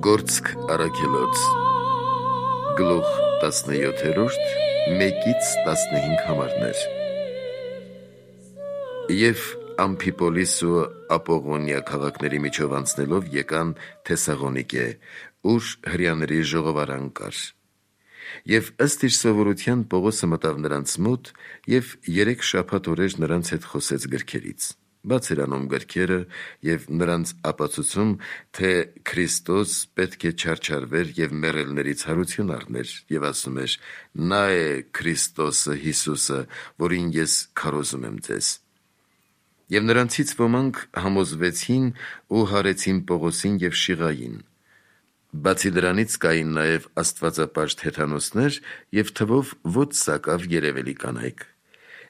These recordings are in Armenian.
Գործք առաքելոց գլուխ 17-րդ 1-15 համարներ Եվ Ամփիպոլիս ու Ապողոնիա քաղաքների միջով անցնելով եկան Թեսաղոնիկե, ուր հրեաների ժողովարան կար։ Եվ ըստ իր սովորության Պողոսը մտավ նրանց մոտ և 3 շաբաթ օրեր նրանց հետ խոսեց գրքերից, բաց էր անում գրքերը և նրանց ապացուցում, թե Քրիստոս պետք է չարչարվեր և մեռելներից հարություն առներ, և ասում էր. «Նա է Քրիստոսը Հիսուսը, որին ես քարոզում եմ ձեզ»։ Եվ նրանցից ոմանք համոզվեցին ու հարեցին Պողոսին և Շիղային։ Բացի դրանից կային նաև աստվածապաշտ հեթանոսներ և թվով ոչ սակավ երևելի կանայք։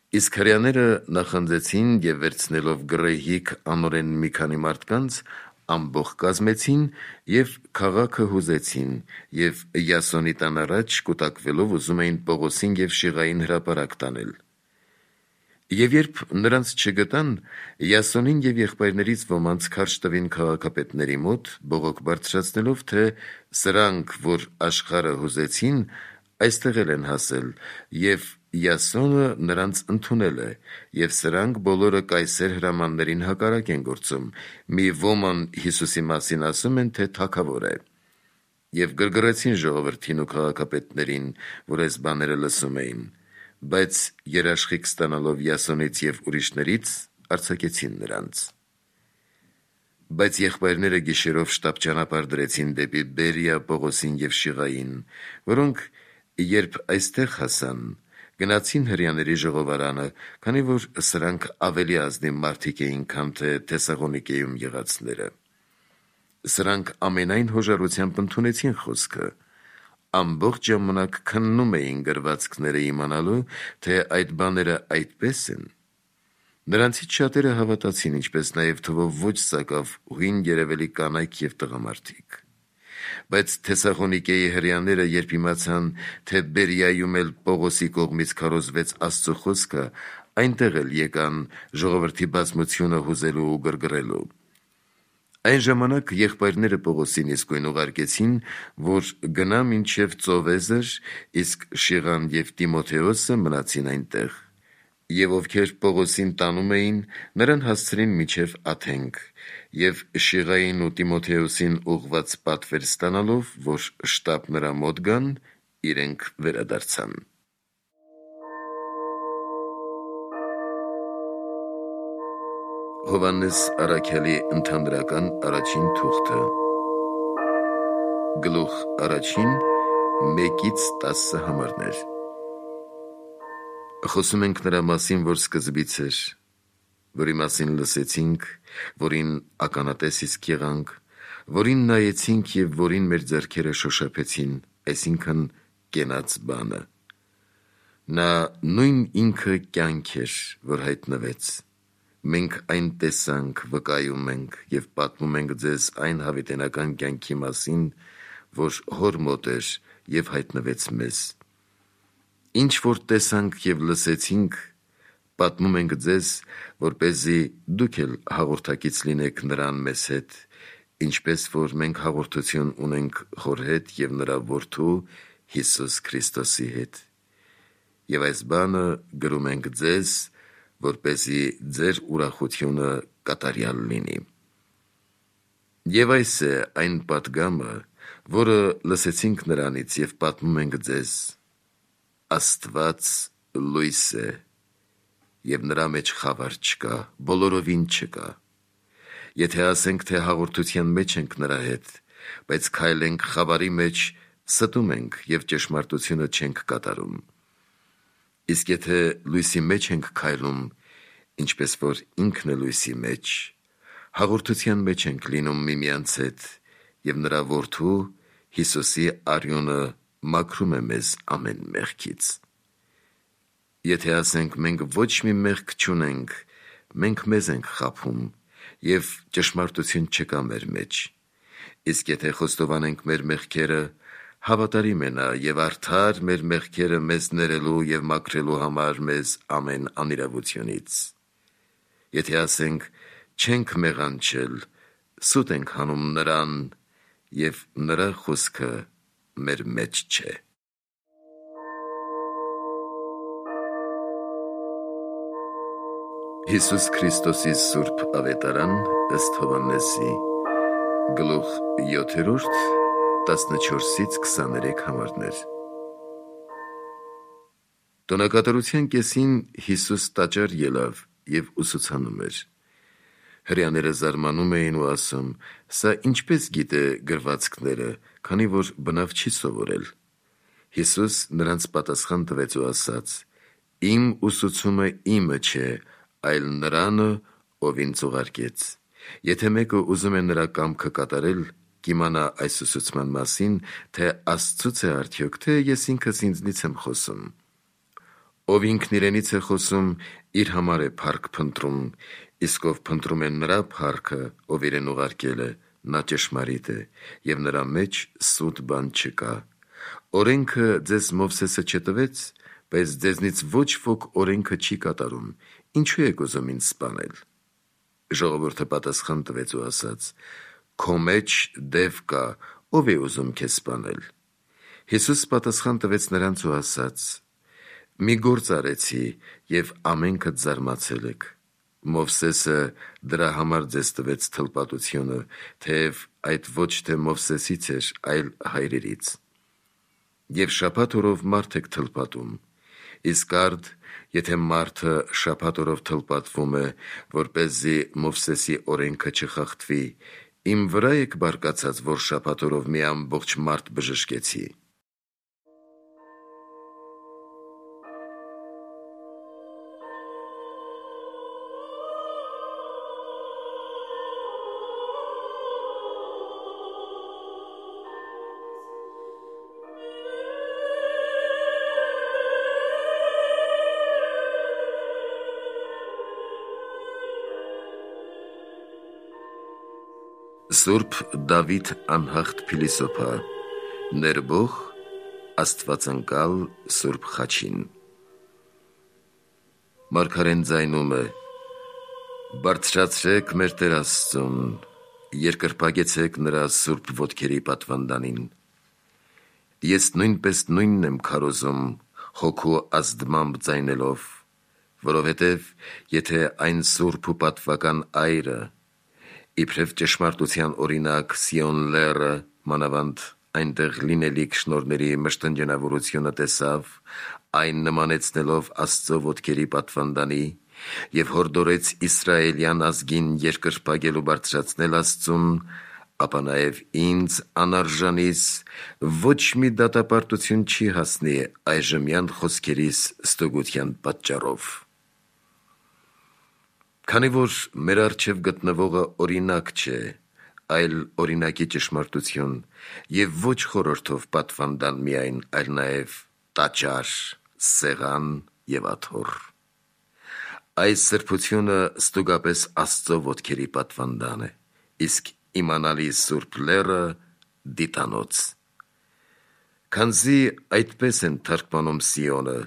Իսկ հրեաները նախանձեցին և վերցնելով գռեհիկ անօրեն մի քանի մարդկանց, ամբոխ կազմեցին և քաղաքը հուզեցին և Յասոնի տան առաջ կուտակվելով ուզում էին Պողոսին և Շիղային հրապարակ տանել։ Եվ երբ նրանց չգտան, Յասոնին և եղբայրներից ոմանց քարշ տվին քաղաքապետների մոտ, բողոք բարձրացնելով, թե սրանք, որ աշխարհը հուզեցին, այստեղ էլ են հասել, և Յասոնը նրանց ընդունել է, և սրանք բոլորը կայսեր հրամաններին հակառակ են գործում, մի ոման Հիսուսի մասին ասում են, թե թագավոր է։ Եվ գրգռեցին ժողովրդին ու քաղաքապետներին, որ այս բաները լսում էին, բայց երաշխիք ստանալով Յասոնից և ուրիշներից, արձակեցին նրանց։ Բայց եղբայրները գիշերով շտապ ճանապարհ դրեցին դեպի Բերիա Պողոսին և Շիղային, որոնք, երբ այստեղ հասան, գնացին հրեաների ժողովարանը, քանի որ սրանք ավելի ազնիվ մարդիկ էին, քան թե Թեսաղոնիկեում եղածները։ Սրանք ամենայն հոժարությամբ ընդունեցին խոսքը, ամբողջ ժամանակ քննում էին գրվածքները իմանալու, թե այդ բաները այդպես են։ Նրանցից շատերը հավատացին, ինչպես նաև թվով ոչ սակավ հույն երևելի կանայք և տղամարդիկ։ Բայց Թեսաղոնիկեի հրեաները, երբ իմացան, թե Բերիայում էլ Պողոսի կողմից քարոզվեց Աստծո խոսքը, այնտեղ էլ եկան ժողովրդի բազմությունը հուզելու ու գրգռելու։ Այն ժամանակ եղբայրները Պողոսին իսկույն ուղարկեցին, որ գնա մինչև Ծովեզր, իսկ Շիղան և Տիմոթեոսը մնացին այնտեղ։ Եվ ովքեր Պողոսին տանում էին, նրան հասցրին մինչև Աթենք, և Շիղային ու Տիմոթեոսին ուղղված պատվեր ստանալով, որ շտապ նրա մոտ գան, իրենք վերադարձան։ Հովհաննես առաքյալի ընդհանրական առաջին թուղթը գլուխ 1 1-10 համարներ Խոսում ենք նրա մասին, որ սկզբից էր, որի մասին լսեցինք, որին ականատես իսկ եղանք, որին նայեցինք և որին մեր ձեռքերը շոշափեցին, այսինքն կենաց բանը։ Նա նույն ինքը կյանք էր, որ հայտնվեց։ Մենք այն տեսանք, վկայում ենք և պատմում ենք ձեզ այն հավիտենական կյանքի մասին, որ Հոր մոտ էր և հայտնվեց մեզ։ Ինչ որ տեսանք և լսեցինք, պատմում ենք ձեզ, որպեսզի դուք էլ հաղորդակից լինեք նրան մեզ հետ, ինչպես որ մենք հաղորդություն ունենք Հոր հետ և նրա Որդու Հիսուս Քրիստոսի հետ։ Եվ այս բանը գրում ենք ձեզ, որպեսզի ձեր ուրախությունը կատարյալ լինի։ Եվ այս է այն պատգամը, որը լսեցինք նրանից և պատմում ենք ձեզ. Աստված լույս է, և նրա մեջ խավար չկա, բոլորովին չկա։ Եթե ասենք, թե հաղորդության մեջ ենք նրա հետ, բայց քայլենք խավարի մեջ, ստում ենք և ճշմարտությունը չենք կատարում։ Իսկ եթե լույսի մեջ ենք քայլում, ինչպես որ ինքն է լույսի մեջ, հաղորդության մեջ ենք լինում միմյանց հետ, և նրա Որդու Հիսուսի արյունը մաքրում է մեզ ամեն մեղքից։ Եթե ասենք մենք ոչ մի մեղք չունենք, մենք մեզ ենք խաբում, և ճշմարտություն չկա մեր մեջ։ Իսկ եթե խոստովանենք մեր մեղքերը, հավատարիմ է նա և արդար մեր մեղքերը մեզ ներելու և մաքրելու համար մեզ ամեն անիրավությունից։ Եթե ասենք չենք մեղանչել, սուտ ենք հանում նրան, և նրա խոսքը մեր մեջ չէ։ Հիսուս Քրիստոսի Սուրբ Ավետարան ըստ Հովհաննեսի, գլուխ 7, 14-23 համարներ։ Տոնակատարության կեսին Հիսուս տաճար ելավ և ուսուցանում էր։ Հրեաները զարմանում էին ու ասում. «Սա ինչպես գիտե գրվածքները, քանի որ բնավ չի սովորել»։ Հիսուս նրանց պատասխան տվեց ու ասաց. «Իմ ուսուցումը իմը չէ, այլ նրանը, ով ինձ ուղարկեց։ Եթե մեկը ուզում է նրա կամքը կատարել, կիմանա այս ուսուցման մասին, թե Աստծուց է արդյոք, թե ես ինքս ինձնից եմ խոսում։ Ով ինքն իրենից է խոսում, իր համար է փառք փնտրում, իսկ ով փնտրում է նրա փառքը, ով իրեն ուղարկել է, նա ճշմարիտ է, և նրա մեջ սուտ բան չկա։ Օրենքը ձեզ Մովսեսը չտվեց, բայց ձեզնից ոչ ոք օրենքը չի կատարում, ինչու եք ուզում ինձ սպանել»։ Ժողովուրդը պատասխան տվեց ու ասաց. «Քո մեջ դև կա, ով է ուզում քեզ սպանել»։ Հիսուս պատասխան տվեց նրանց ու ասաց. «Մի գործ արեցի, և ամենքդ զարմացել եք։ Մովսեսը դրա համար ձեզ տվեց թլպատությունը, թեև այդ ոչ թե Մովսեսից էր, այլ հայրերից։ Եվ շաբաթ օրով մարդ եք թլպատում, իսկ արդ, եթե մարդը շաբաթ օրով թլպատվում է, որպեսզի Մովսեսի օրենքը չխախտվի, իմ վրա եք բարկացած, որ շաբաթ օրով մի ամբողջ մարդ բժշկեցի»։ Սուրբ Դավիթ անհաղթ փիլիսոփա, ներբող աստվածանկալ Սուրբ Խաչին։ Մարգարեն ձայնում է. «Բարձրացրեք մեր Տեր Աստծուն, երկրպագեցեք նրա սուրբ ոտքերի պատվանդանին։ Ես նույնպես նույնն եմ քարոզում հոգու ազդմամբ ձայնելով, որովհետև եթե այն սուրբ ու պատվական այրը, իբրև ճշմարտության օրինակ Սիոն լեռը, մանավանդ այնտեղ լինելիք շնորհների մշտնջենավորությունը տեսավ, այն նմանեցնելով Աստծո ոտքերի պատվանդանի, և հորդորեց իսրայելյան ազգին երկրպագել ու բարձրացնել Աստծուն, ապա նաև ինձ անարժանիս ոչ մի դատապարտություն չի հասնի այժմյան խոսքերիս ստուգության պատճառով։ Քանի որ մեր առջև գտնվողը օրինակ չէ, այլ օրինակի ճշմարտություն, և ոչ խորհրդով պատվանդան միայն, այլ նաև տաճար, սեղան և աթոռ։ Այս սրբությունը ստուգապես Աստծո ոտքերի պատվանդան է, իսկ իմանալի սուրբ լեռը դիտանոց։ Քանզի այդպես են թարգմանում Սիոնը,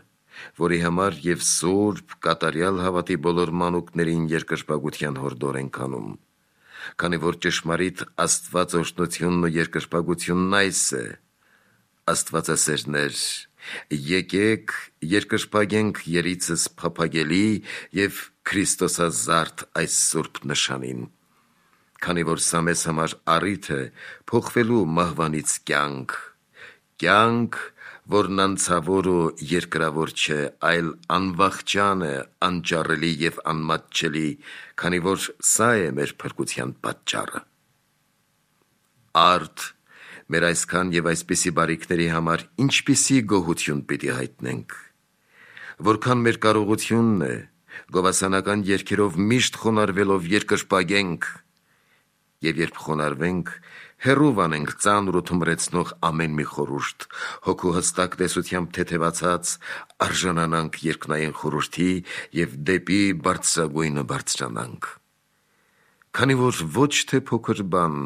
որի համար և սուրբ կատարյալ հավատի բոլոր մանուկներին երկրպագության հորդոր ենք անում, քանի որ ճշմարիտ Աստված օրհնությունն ու երկրպագությունն այս է. Աստվածասերներ, եկեք երկրպագենք երիցս փափագելի և քրիստոսազարդ այս սուրբ նշանին, քանի որ սա մեզ համար առիթ է փոխվելու մահվանից կյանք, որն անցավոր ու երկրավոր չէ, այլ անվախճան է, անճարելի և անմատչելի, քանի որ սա է մեր փրկության պատճառը։ Արդ մեր այսքան և այսպիսի բարիքների համար ինչպիսի գոհություն պիտի հայտնենք, որքան մեր կարողությունն է, գովասանական երգերով միշտ խոնարհվելով երկրպագենք, և երբ խոնարհվենք, հեռու վանենք ծանր ու թմրեցնող ամեն մի խորհուրդ, հոգու հստակ տեսությամբ թեթևացած արժանանանք երկնային խորհրդի և դեպի բարձրագույնը բարձրանանք։ Քանի որ ոչ թե փոքր բան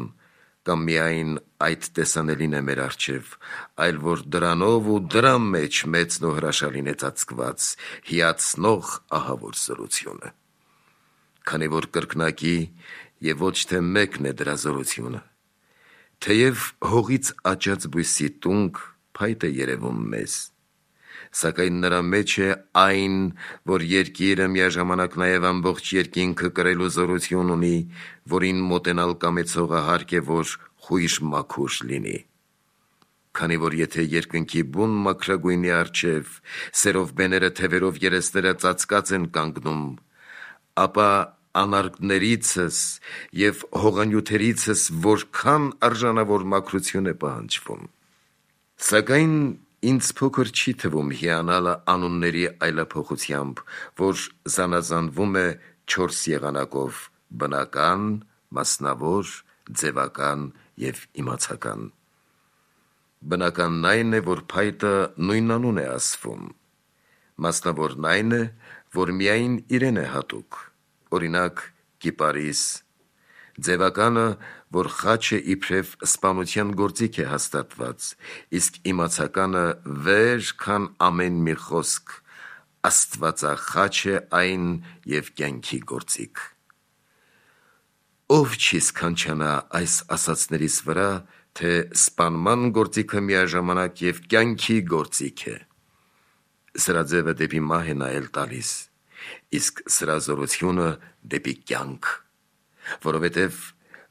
կամ միայն այդ տեսանելին է մեր առջև, այլ որ դրանով ու դրա մեջ մեծն ու հրաշալին է ծածկված հիացնող ահավոր զորությունը։ Քանի որ կրկնակի և ոչ թե մեկն է դրա զորությունը, Թեև հողից աճած բույսի տունք փայտ է երևում մեզ, սակայն նրա մեջ է այն, որ երկիրը միաժամանակ նաև ամբողջ երկինքը կրելու զորություն ունի, որին մոտենալ կամեցողը հարկ է, որ խույժ մաքուր լինի։ Քանի որ եթե երկնքի բուն մաքրագույնի առջև սերով բեները թևերով երեսները ծածկած են կանգնում, ապա անարգներիցս և հողանյութերիցս որքան արժանավոր մաքրություն է պահանջվում։ Սակայն ինձ փոքր չի թվում հիանալը անունների այլափոխությամբ, որ զանազանվում է 4 եղանակով՝ բնական, մասնավոր, ձևական և իմացական։ Բնականն այն է, որ փայտը նույն անուն է ասվում, մասնավորն այն է, որ միայն իրեն է հատուկ, օրինակ կիպարիս, ձևականը, որ խաչը իբրև սպանության գործիք է հաստատված, իսկ իմացականը վեր, քան ամեն մի խոսք, աստվածախաչ է այն և կյանքի գործիք։ Ով չի սքանչանա այս ասացներից վրա, թե սպանման գործիքը միաժամանակ և կյանքի գործիք է։ Սրա ձևը դեպի մահ է նայել տալիս, իսկ սրա զորությունը դեպի կյանք, որովհետև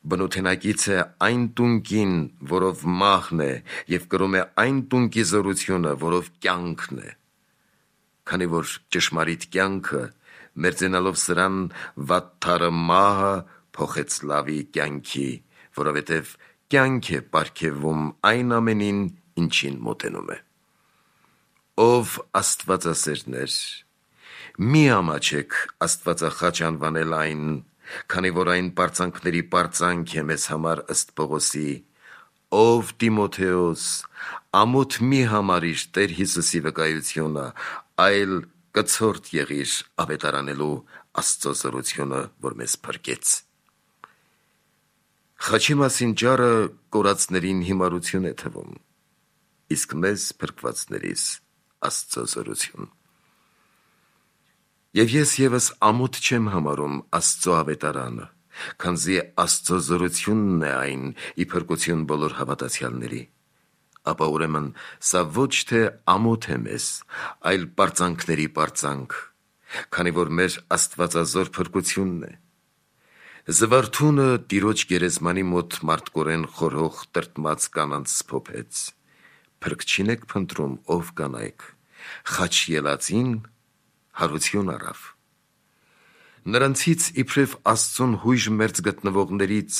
բնութենակից է այն տունկին, որով մահն է, և կրում է այն տունկի զորությունը, որով կյանքն է։ Քանի որ ճշմարիտ կյանքը, մերձենալով սրան, վատթարը մահը փոխեց լավի կյանքի, որովհետև կյանք է պարգևում այն ամենին, ինչին մոտենում է։ Ով աստվածասերներ, մի ամաչեք աստվածախաչ անվանել այն, քանի որ այն պարծանքների պարծանք է մեզ համար ըստ Պողոսի, ով Տիմոթեոս, ամոթ մի համարիր Տեր Հիսուսի վկայությունը, այլ կցորդ եղիր ավետարանելու Աստծո զորությունը, որ մեզ փրկեց։ Խաչի մասին ճառը կորածներին հիմարություն է թվում, իսկ մեզ փրկվածներիս Աստծո զորություն։ Եվ ես ևս ամոթ չեմ համարում Աստծո ավետարանը, քանզի Աստծո զորությունն է այն ի փրկություն բոլոր հավատացյալների, ապա ուրեմն սա ոչ թե ամոթ է մեզ, այլ պարծանքների պարծանք, քանի որ մեր աստվածազոր փրկությունն է։ Զվարթունը Տիրոջ գերեզմանի մոտ մարդկորեն խորհող տրտմած կանանց սփոփեց. «Փրկչին եք փնտրում, ով կանայք, խաչ ելածին հարություն առավ»։ Նրանցից իբրև Աստծուն հույժ մերձ գտնվողներից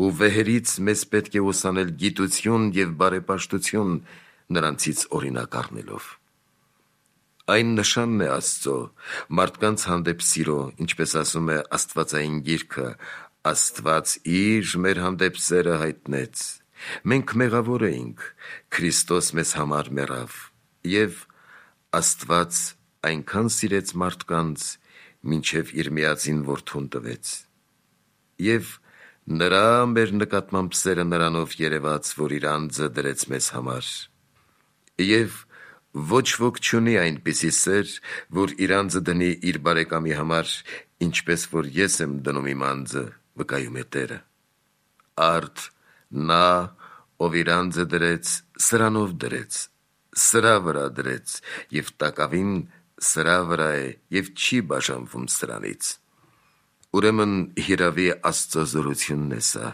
ու վեհերից մեզ պետք է ուսանել գիտություն և բարեպաշտություն, նրանցից օրինակ առնելով։ Այն նշանն է Աստծո, մարդկանց հանդեպ սիրո, ինչպես ասում է Աստվածային գիրքը. «Աստված իր մեր հանդեպ սերը հայտնեց, մենք մեղավոր էինք, Քրիստոս մեզ համար մեռավ, և Աստված այնքան սիրեց մարդկանց, մինչև իր միածին որդուն տվեց, և նրա մեր նկատմամբ սերը նրանով երևաց, որ իր անձը դրեց մեզ համար, և ոչ ոք չունի այնպիսի սեր, որ իր անձը դնի իր բարեկամի համար, ինչպես որ ես եմ դնում իմ անձը, վկայում է Տերը։ Արդ նա, ով իր անձը դրեց, սրանով դրեց, սրա վրա դրեց, և տակավին սրա վրա է և չի բաժանվում սրանից։ Ուրեմն հիրավի Աստծո զորությունն է սա։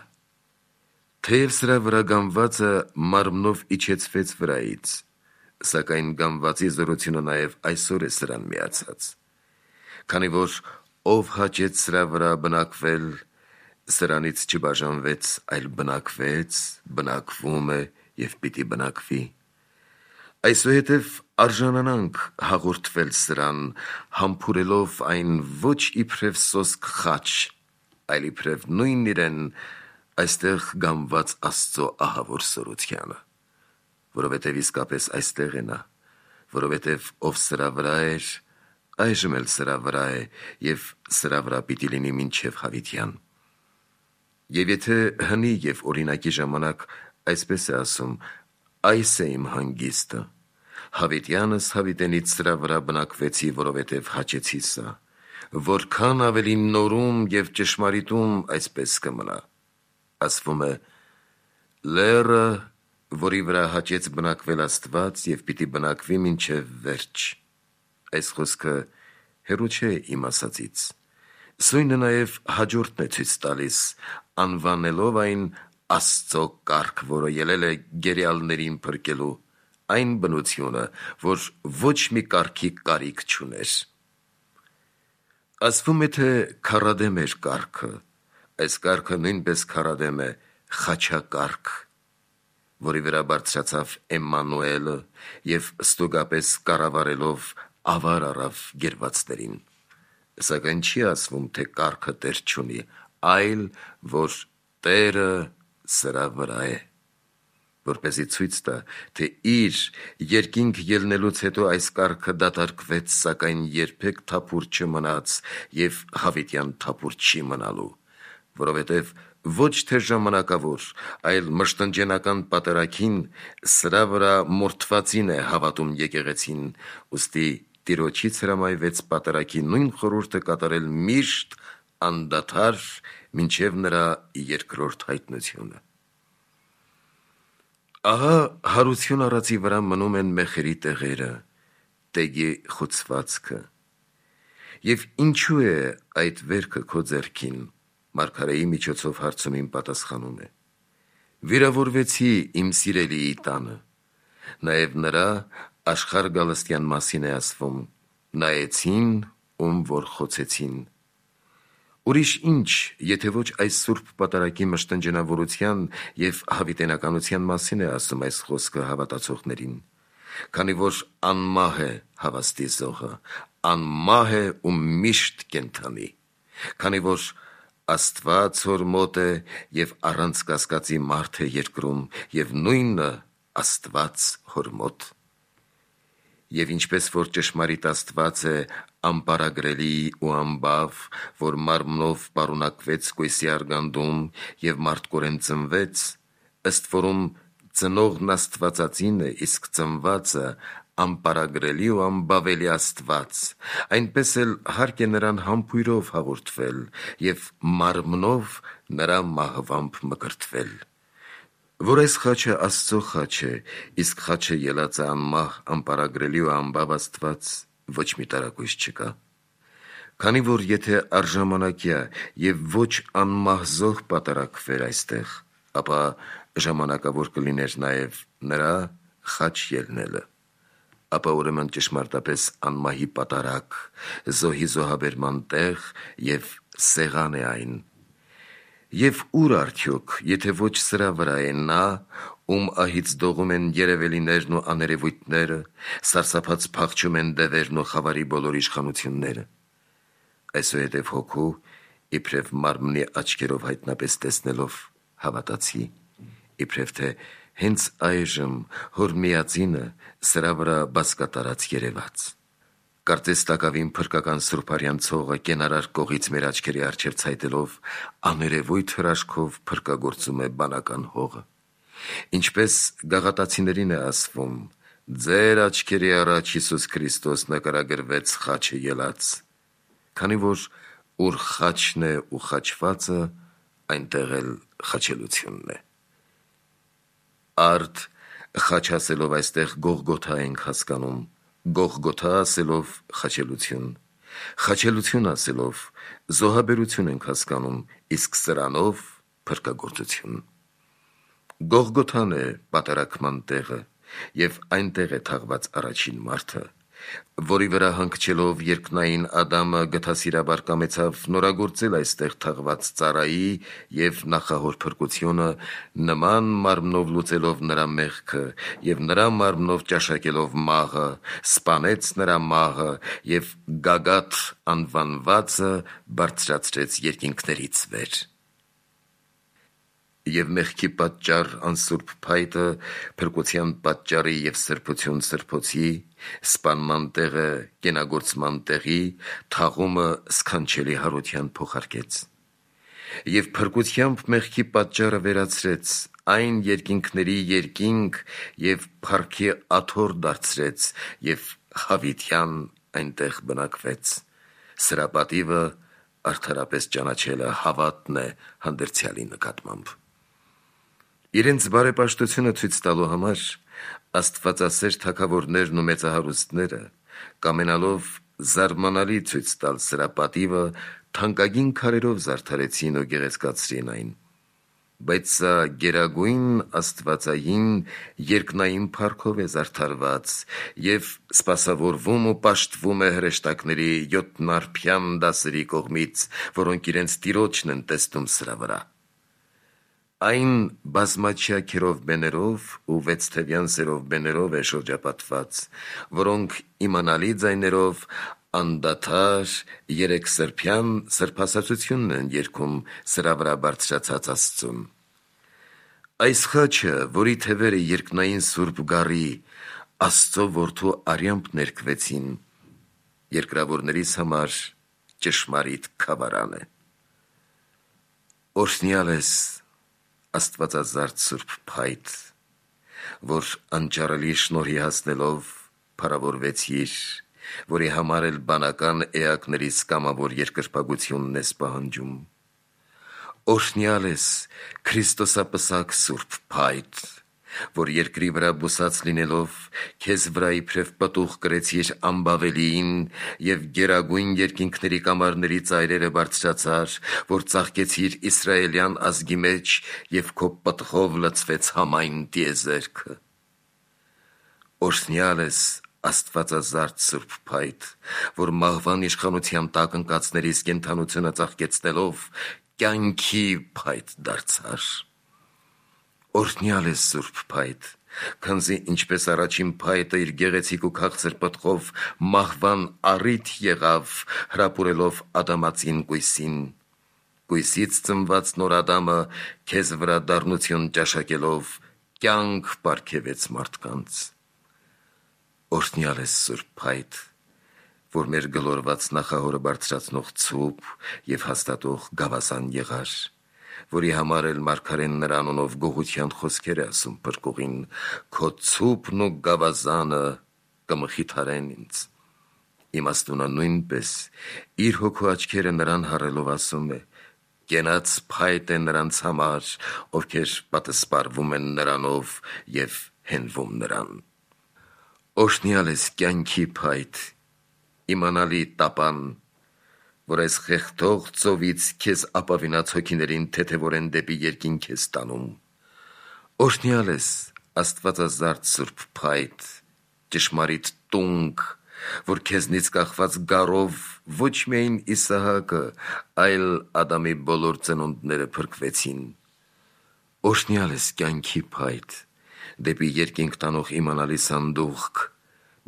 Թեև սրա վրա գանվածը մարմնով իջեցվեց վրայից, սակայն գանվածի զորությունը նաև այսօր է սրան միացած։ Քանի որ ով հաճեց սրա վրա բնակվել, սրանից չբաժանվեց, այլ բնակվեց, բնակվում է և պիտի բնակվի։ Այսուհետև արժանանանք հաղորդվել սրան, համբուրելով այն ոչ իբրև սոսկ խաչ, այլ իբրև նույն իրեն այստեղ գանված Աստծո ահավոր զորությանը, որովհետև իսկապես այստեղ է նա, որովհետև ով սրա վրա էր, այժմ էլ սրա վրա է և սրա վրա պիտի լինի մինչև հավիտյան։ Եվ եթե հնի և օրինակի ժամանակ այսպես է ասում, այս է իմ հանգիստը, հավիտյանս հավիտենից սրա վրա բնակվեցի, որովհետև հաճեցի սա, որքան ավելի նորում և ճշմարիտում այսպես կմնա, ասվում է, Լերը, որի վրա հաճեց բնակվել Աստված և պիտի բնակվի մինչև վերջ։ Այս խոսքը հեռու չէ իմ ասածից։ Սույնը նաև հաջորդն է ցույց տալիս, անվանելով այն Աստծո կարգ, որը ելել է գերեալներին փրկելու, այն բնությունը, որ ոչ մի կարգի կարիք չուներ։ Ասվում է, թե քարադեմ էր կարգը, այս կարգը նույնպես քարադեմ է խաչակարգ, որի վրա բարձրացավ Էմմանուելը և ստուգապես կառավարելով ավար առավ գերվածներին։ Սակայն չի ասվում, թե կարգը տեր չունի, այլ որ Տերը սրա վրա է, որպեսզի ցույց տա, թե իր երկինք ելնելուց հետո այս կարգը դատարկվեց, սակայն երբեք թափուր չմնաց և հավիտյան թափուր չի մնալու, որովհետև ոչ թե ժամանակավոր, այլ մշտնջենական պատարագին սրա վրա մորթվածին է հավատում եկեղեցին, ուստի Տիրոջից հրամայվեց պատարագի նույն խորհուրդը կատարել միշտ անդադար մինչև նրա երկրորդ հայտնությունը։ Ահա հարություն առածի վրա մնում են մեխերի տեղերը, տեգի խուցվածքը։ Եվ ինչու է այդ վերքը քո ձեռքին, մարգարեի միջոցով հարցում իմ պատասխանում է. վիրավորվեցի իմ սիրելիի տանը, նաև նրա աշխարհ գալստյան մասին է ասվում, նայեցին, ում որ խոցեցին։ Ուրիշ ինչ, եթե ոչ այս սուրբ պատարագի մշտնջենավորության և հավիտենականության մասին է ասում այս խոսքը հավատացողներին, քանի որ անմահ է հավաստի զոհը, անմահ է ու միշտ կենդանի, քանի որ Աստված հոր մոտ է և առանց կասկածի մարդ է երկրում և նույնը Աստված հոր մոտ։ Եվ ինչպես որ ճշմարիտ Աստված է անպարագրելի ու անբավ, որ մարմնով պարունակվեց կույսի արգանդում և մարդկորեն ծնվեց, ըստ որում ծնողն Աստվածածին է, իսկ ծնվածը անպարագրելի ու անբավելի Աստված, այնպես էլ հարկ է նրան համբույրով հաղորդվել և մարմնով նրա մահվամբ մկրտվել, որ այս խաչը Աստծո խաչ է, իսկ խաչը ելածը անմահ, անպարագրելի ու անբավ Աստված, ոչ մի տարակույս չկա։ Քանի որ եթե առժամանակյա և ոչ անմահ զոհ պատարագվեր այստեղ, ապա ժամանակավոր կլիներ նաև նրա խաչ ելնելը, ապա ուրեմն ճշմարտապես անմահի պատարագ, զոհի զոհաբերման տեղ և սեղան է այն։ Եվ ուր արդյոք, եթե ոչ սրա վրա է նա, ում ահից դողում են երևելիներն ու աներևույթները, սարսափած փախչում են դևերն ու խավարի բոլոր իշխանությունները։ Այսուհետև հոգու, իբրև մարմնի աչքերով հայտնապես տեսնելով, հավատացի, իբրև թե հենց այժմ հոր միածինը սրա վրա բազկատարած երևաց։ Կարծես տակավին փրկական սուրբարյան ցողը կենարար կողից մեր աչքերի առջև ցայտելով աներևույթ հրաշքով փրկագործում է բանական հողը։ Ինչպես գաղատացիներին է ասվում. ձեր աչքերի առաջ Հիսուս Քրիստոս նկարագրվեց խաչը ելած, քանի որ ուր խաչն է ու խաչվածը, այնտեղ էլ խաչելությունն է։ Արդ խաչ ասելով այստեղ Գողգոթա ենք հասկանում, Գողգոթա ասելով խաչելություն, խաչելություն ասելով զոհաբերություն ենք հասկանում, իսկ սրանով փրկագործություն։ Գողգոթան է պատարագման տեղը և այնտեղ է թաղված առաջին մարդը, որի վրա հանգչելով երկնային Ադամը գթասիրաբար կամեցավ նորագործել այստեղ թաղված ծառայի և նախահոր փրկությունը, նման մարմնով լուծելով նրա մեղքը և նրա մարմնով ճաշակելով մահը, սպանեց նրա մահը և Գագաթ անվանվածը բարձրացրեց երկինքներից վեր։ Եվ մեղքի պատճառ անսուրբ փայտը փրկության պատճառի և սրբություն սրբոցի, սպանման տեղը կենագործման տեղի, թաղումը սքանչելի հարության փոխարկեց։ Եվ փրկությամբ մեղքի պատճառը վերացրեց, այն երկինքների երկինք և փառքի աթոռ դարձրեց և հավիտյան այնտեղ բնակվեց։ Սրա պատիվը արդարապես ճանաչելը հավատն է հանդերձյալի նկատմամբ։ Իրենց բարեպաշտությունը ցույց տալու համար աստվածասեր թագավորներն ու մեծահարուստները կամենալով զարմանալի ցույց տալ սրա պատիվը թանկագին քարերով զարդարեցին ու գեղեցկացրին այն, բայց սա գերագույն աստվածային երկնային փառքով է զարդարված եւ սպասավորվում ու պաշտվում է հրեշտակների 7 դասերի կողմից, որոնք իրենց տիրոջն են տեսնում սրա վրա։ Այն բազմաչյա քերովբեներով ու 6 թևյան սերովբեներով է շրջապատված, որոնք իմանալի ձայներով անդադար 3 սրբյան սրբասացությունն են երգում սրա վրա բարձրացած Աստծուն։ Այս խաչը, որի թևերը երկնային սուրբ գառի Աստծո որդու արյամբ ներկվեցին, երկրավորներիս համար ճշմարիտ քավարան է։ Օրհնյալ ես Աստվածազարդ Սուրբ Փայտ, որ անճարելի շնորհի հասնելով փառավորվեցիր, որի համար էլ բանական էակներից կամավոր երկրպագությունն ես պահանջում։ Օրհնյալ ես Քրիստոսապսակ Սուրբ Փայտ, որ երկրի վրա բուսած լինելով քեզ վրա իբրև պտուղ կրեցիր անբավելիին եւ գերագույն երկինքների կամարների ծայրերը բարձրացար, որ ծաղկեցիր Իսրայելյան ազգի մեջ եւ քո պտղով լցվեց համայն տիեզերքը։ Օրհնյալ ես Աստվածազարդ Սուրբ Փայտ, որ մահվան իշխանության տակ ընկածներից կենդանությունը ծաղկեցնելով կյանքի փայտ դարձար։ Օրհնյալ ես Սուրբ Փայտ, քանզի ինչպես առաջին փայտը իր գեղեցիկ ու քաղցր պտղով մահվան առիթ եղավ, հրապուրելով ադամածին կույսին, կույսից ծնված նոր Ադամը քեզ վրա դառնություն ճաշակելով կյանք պարգևեց մարդկանց։ Օրհնյալ ես Սուրբ Փայտ, որ մեր գլորված նախահորը բարձրացնող ցուպ եւ հաստատող գավազան եղար, որի համար էլ մարգարեն նրա անունով գողության խոսքեր է ասում փրկողին, քո ցուպն ու գավազանը կմխիթարեն ինձ։ Իմաստունը նույնպես իր հոգու աչքերը նրան հառելով ասում է. կենաց փայտ է նրանց համար, ովքեր պատսպարվում են նրանով եւ հենվում նրան։ Օրհնյալ ես կյանքի փայտ, իմանալի տապան, որ այս խեղդող ծովից քեզ ապավինած հոգիներին թեթևորեն դեպի երկինք ես տանում։ Օրհնյալ ես Աստվածազարդ Սուրբ Փայտ, ճշմարիտ տունք, որ քեզնից կախված գառով ոչ միայն Իսահակը, այլ Ադամի բոլոր ծնունդները փրկվեցին։ Օրհնյալ ես կյանքի փայտ, դեպի երկինք տանող իմանալի սանդուղք,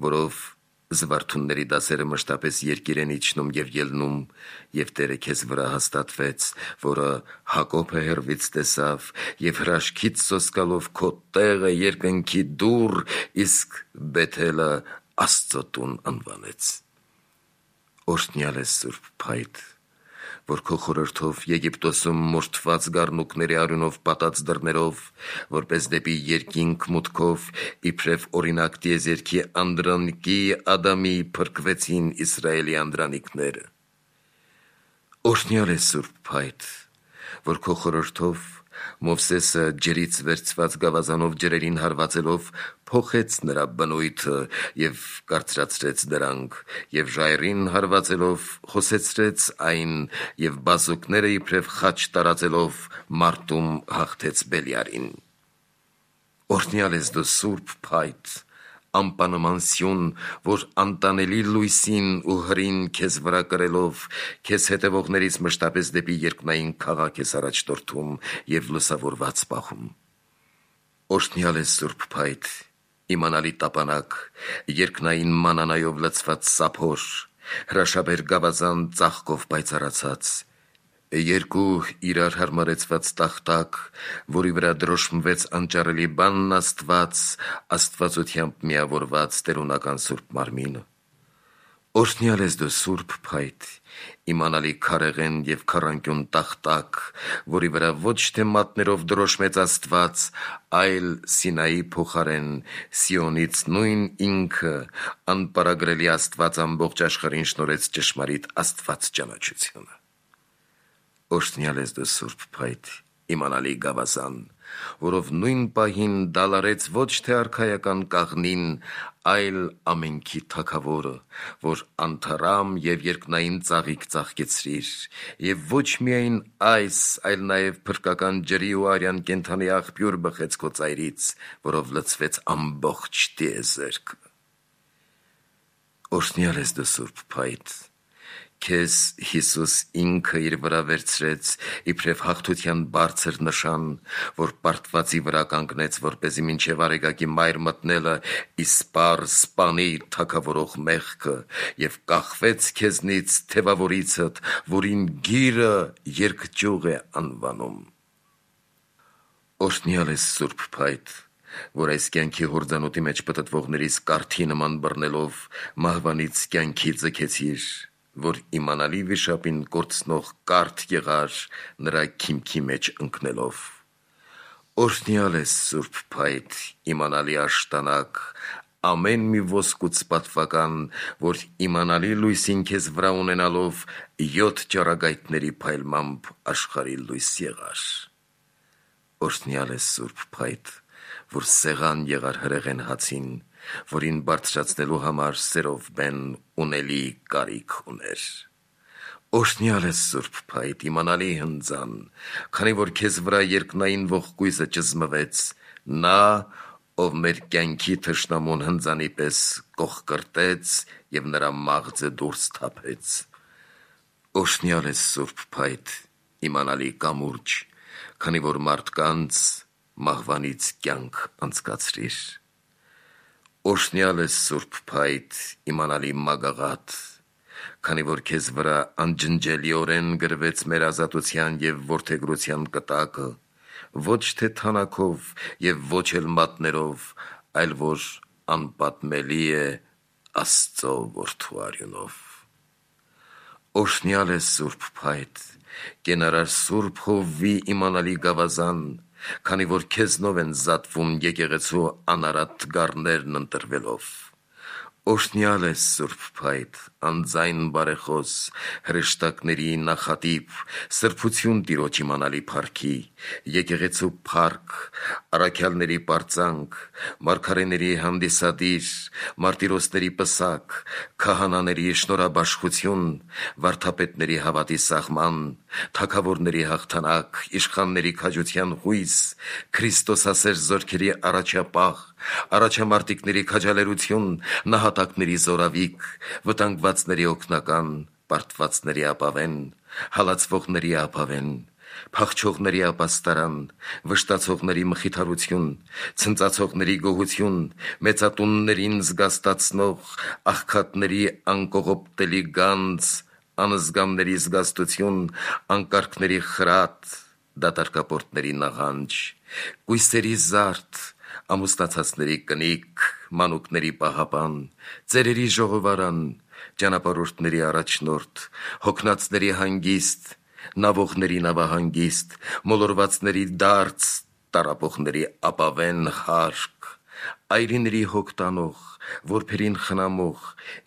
որով զվարթունների դասերը մշտապես երկիր են իջնում եւ ելնում, եւ Տերը քեզ վրա հաստատվեց, որը Հակոբը հեռվից տեսավ եւ հրաշքից սոսկալով քո տեղը երկնքի դուռ, իսկ Բեթելը Աստծո տուն անվանեց։ Օրհնյալ ես Սուրբ Փայտ, որ քո խորհրդով Եգիպտոսում մորթված գառնուկների արյունով պատած դռներով, որպես դեպի երկինք մուտքով, իբրև օրինակ տիեզերքի անդրանիկի Ադամի փրկվեցին Իսրայելի անդրանիկները։ Օրհնյալ ես Սուրբ Փայտ, որ քո խորհրդով Մովսեսը ջրից վերցված գավազանով ջրերին հարվածելով փոխեց նրա բնույթը եւ կարծրացրեց դրանք, եւ ժայռին հարվածելով խոսեցրեց այն եւ բազուկները իբրև խաչ տարածելով մարտում հաղթեց Բելիարին։ Օրհնյալ ես դու Սուրբ Փայտ, անպանման սյուն, որ անտանելի լույսին ու հրին քեզ վրա կրելով, քեզ հետևողներից մշտապես դեպի երկնային քաղաք ես առաջնորդում եւ լուսավորված պահում։ Օրհնյալ ես Սուրբ Փայտ, իմանալի տապանակ, երկնային մանանայով լցված սափոր, հրաշաբեր գավազան ծաղկով պայծառացած, երկու իրար հարմարեցված տախտակ, որի վրա դրոշմվեց անճարելի բանն Աստված, աստվածությամբ միավորված տերունական Սուրբ Մարմինը։ Օրհնյալ ես դու Սուրբ Փայտ, իմանալի քարեղեն եւ քառանկյուն տախտակ, որի վրա ոչ թե մատներով դրոշմեց Աստված, այլ Սինայի փոխարեն Սիոնից նույն ինքը անպարագրելի Աստված ամբողջ աշխարհին շնորհեց ճշմարիտ Աստված ճանաչությունը։ Օրհնյալ ես դու Սուրբ Փայտ, իմանալի գավազան, որով նույն պահին դալարեց ոչ թե արքայական կաղնին, այլ ամենքի թագավորը, որ անթարամ և երկնային ծաղիկ ծաղկեցրիր, և ոչ միայն այս, այլ նաև փրկական ջրի ու արյան կենդանի աղբյուր բխեց քո ծայրից, որով լցվեց ամբողջ տիեզերքը։ Օրհնյալ ես դու Սուրբ Փայտ, քեզ Հիսուս ինքը իր վրա վերցրեց իբրև հաղթության բարձր նշան, որ պարտվածի վրա կանգնեց, որպեսզի մինչև արեգակի մայր մտնելը իսպառ սպանի թագավորող մեղքը և կախվեց քեզնից թևավորիցդ, որին գիրը երկճյուղ է անվանում։ Օրհնյալ ես Սուրբ Փայտ, որ այս կյանքի հորձանուտի մեջ պտտվողներից կարթի նման բռնելով մահվանից կյանքի ձգեցիր, որ իմանալի վիշապին կորցնող կարթ եղար նրա քիմքի մեջ ընկնելով։ Օրհնյալ ես Սուրբ Փայտ, իմանալի աշտանակ, ամեն մի ոսկուց պատվական, որ իմանալի լույսին քեզ վրա ունենալով 7 ճառագայթների փայլմամբ աշխարհի լույս եղար։ Օրհնյալ ես Սուրբ Փայտ, որ սեղան եղար հրեղեն հացին, որին բարձրացնելու համար սերով բեն ունելի կարիք ուներ։ Օրհնյալ ես Սուրբ Փայտ, իմանալի հնձան, քանի որ քեզ վրա երկնային ողկույզը ճզմվեց, նա, ով մեր կյանքի թշնամուն հնձանի պես կողկրտեց և նրա մաղձը դուրս թափեց։ Օրհնյալ ես Սուրբ Փայտ, իմանալի կամուրջ, քանի որ մարդկանց մահվանից կյանք անցկացրիր։ Օրհնյալ ես Սուրբ Փայտ, իմանալի մագաղատ, քանի որ քեզ վրա անջնջելիորեն գրվեց մեր ազատության և որդեգրության կտակը, ոչ թե թանաքով և ոչ էլ մատներով, այլ որ անպատմելի է Աստծո որդու արյունով։ Օրհնյալ ես Սուրբ Փայտ, կենարար Սուրբ Հովվի իմանալի գավազան, քանի որ քեզնով են զատվում եկեղեցու անարատ թգարներն ընտրվելով։ Օրհնյալ ես Սուրբ Փայտ, անձայն բարեխոս, հրեշտակների նախատիպ, սրբություն Տիրոջ իմանալի փառքի, եկեղեցու փառք, առաքյալների պարծանք, մարգարեների հանդիսադիր, մարտիրոսների պսակ, քահանաների շնորհաբաշխություն, վարդապետների հավատի սաղման, թագավորների հաղթանակ, իշխանների քաջության հույս, Քրիստոսասեր զորքերի առաջապահ, առաջամարտիկների քաջալերություն, նահատակների զորավիք, վտանգվածների օգնական, պարտվածների ապավեն, հալածվողների ապավեն, փախչողների ապաստարան, վշտացողների մխիթարություն, ցնծացողների գոհություն, մեծատուններին զգաստացնող, աղքատների անկողոպտելի գանձ, անզգամների զգաստություն, անկարգների խրատ, դատարկապորտների նաղանջ, կույսերի զարդ, ամուսնացածների կնիկ, մանուկների պահապան, ծերերի ժողովարան, ճանապարհորդների առաջնորդ, հոգնածների հանգիստ, նավողների նավահանգիստ, մոլորվածների դարձ, տառապողների ապավեն հարկ, այրիների հոգ տանող, որբերին խնամող,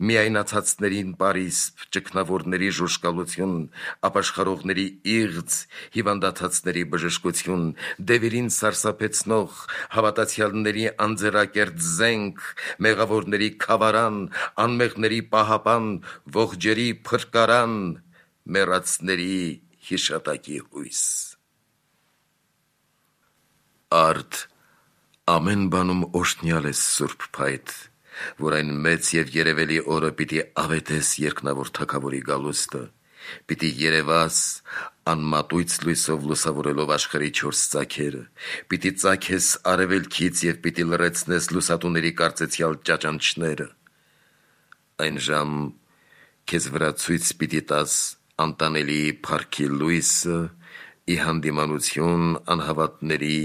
միայնացածներին պարիսպ, ճգնավորների ժուժկալություն, ապաշխարողների իղձ, հիվանդացածների բժշկություն, դևերին սարսափեցնող, հավատացյալների անձեռակերտ զենք, մեղավորների քավարան, անմեղների պահապան, ողջերի փրկարան, մեռածների հիշատակի հույս։ Արդ ամեն բանում օրհնյալ ես Սուրբ Փայտ, որ այն մեծ և երևելի օրը պիտի ավետես երկնավոր թագավորի գալուստը, պիտի երևաս անմատույց լույսով լուսավորելով աշխարհի 4 ծագերը, պիտի ծագես արևելքից և պիտի լռեցնես լուսատուների կարծեցյալ ճաճանչները։ Այն ժամ քեզ վրա ցույց պիտի տաս անտանելի փառքի լույսը ի հանդիմանություն անհավատների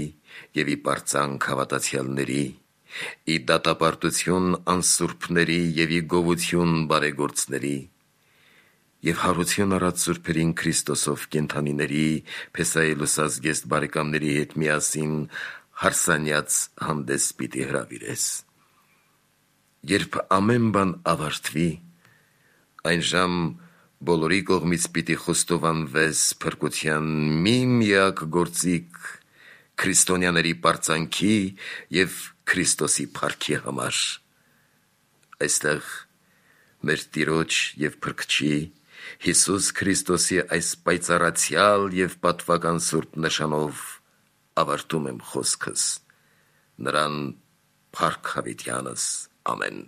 և ի պարծանք հավատացյալների, ի դատապարտություն անսուրբների և ի գովություն բարեգործների, և հարություն առած սուրբերին Քրիստոսով կենդանիների, Փեսայի լուսազգեստ բարեկամների հետ միասին հարսանյաց հանդես պիտի հրավիրես։ Երբ ամեն բան ավարտվի, այն ժամ բոլորի կողմից պիտի խոստովանվես փրկության մի միակ գործիք, քրիստոնյաների պարծանքի և Քրիստոսի փառքի համար։ Այստեղ մեր Տիրոջ և Փրկչի Հիսուս Քրիստոսի այս պայծառացյալ և պատվական սուրբ նշանով ավարտում եմ խոսքս։ Նրան փառք հավիտյանս։ Ամեն։